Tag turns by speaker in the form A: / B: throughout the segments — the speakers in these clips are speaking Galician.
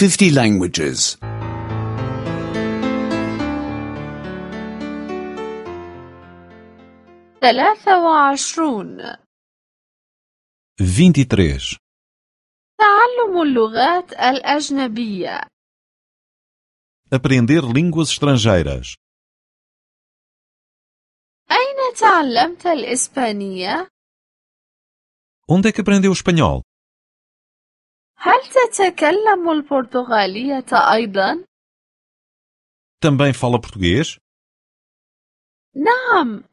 A: 50 languages.
B: 23.
C: 23.
B: تعلم اللغات الأجنبية.
C: Aprender línguas estrangeiras.
B: أين تعلمت الإسبانية؟
C: Onde é que aprendeu espanhol?
B: هل تتكلم البرتغالية أيضا؟
C: Também fala português?
B: نعم،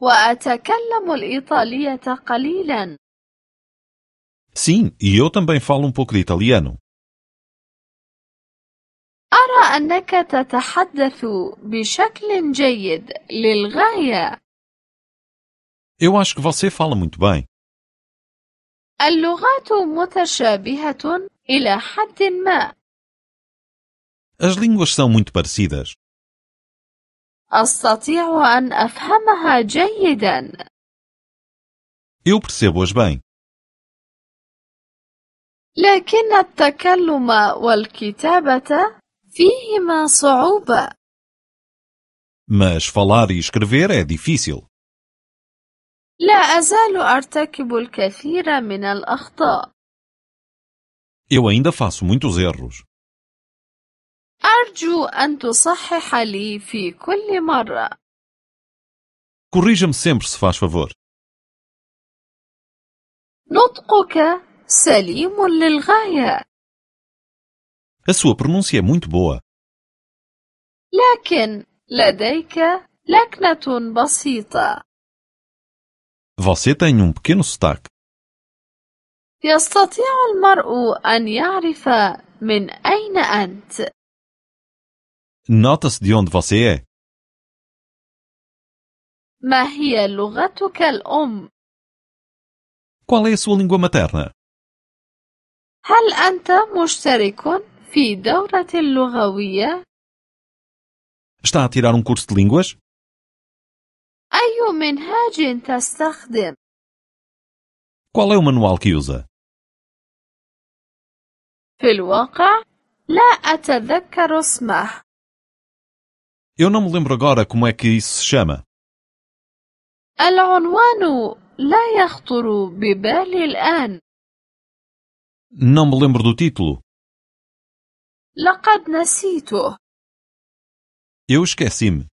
B: وأتكلم الإيطالية قليلا.
C: Sim, e eu também falo pouco de italiano.
B: أرى أنك تتحدث بشكل جيد للغاية.
C: Eu acho que você fala muito bem.
B: اللغات متشابهة إلى حد ما.
C: As línguas são muito parecidas.
B: أستطيع أن أفهمها جيدا.
C: Eu percebo-as bem.
B: لكن التكلم والكتابة فيهما صعوبة.
C: Mas falar e escrever é difícil.
B: لا أزال أرتكب الكثير من الأخطاء.
C: Eu ainda faço muitos erros.
B: أرجو أن تصحح لي في كل مرة.
C: Corrija-me sempre se faz favor.
B: نطقك سليم للغاية.
C: A sua pronúncia é muito boa.
B: لكن لديك لكنة بسيطة.
C: Você tem pequeno sotaque.
B: يستطيع المرء أن يعرف من أين أنت.
C: Nota-se de onde você é.
B: ما هي لغتك الأم؟
C: Qual é a sua língua materna?
B: هل أنت مشترك في دورة اللغوية؟
C: Está a tirar curso de línguas?
B: أي منهاج تستخدم؟
C: Qual é o manual que usa?
B: في الواقع لا أتذكر اسمه.
C: Eu não me lembro agora como é que isso se chama.
B: العنوان لا يخطر ببالي الآن.
C: Não me lembro do título.
B: لقد نسيته.
C: Eu esqueci-me.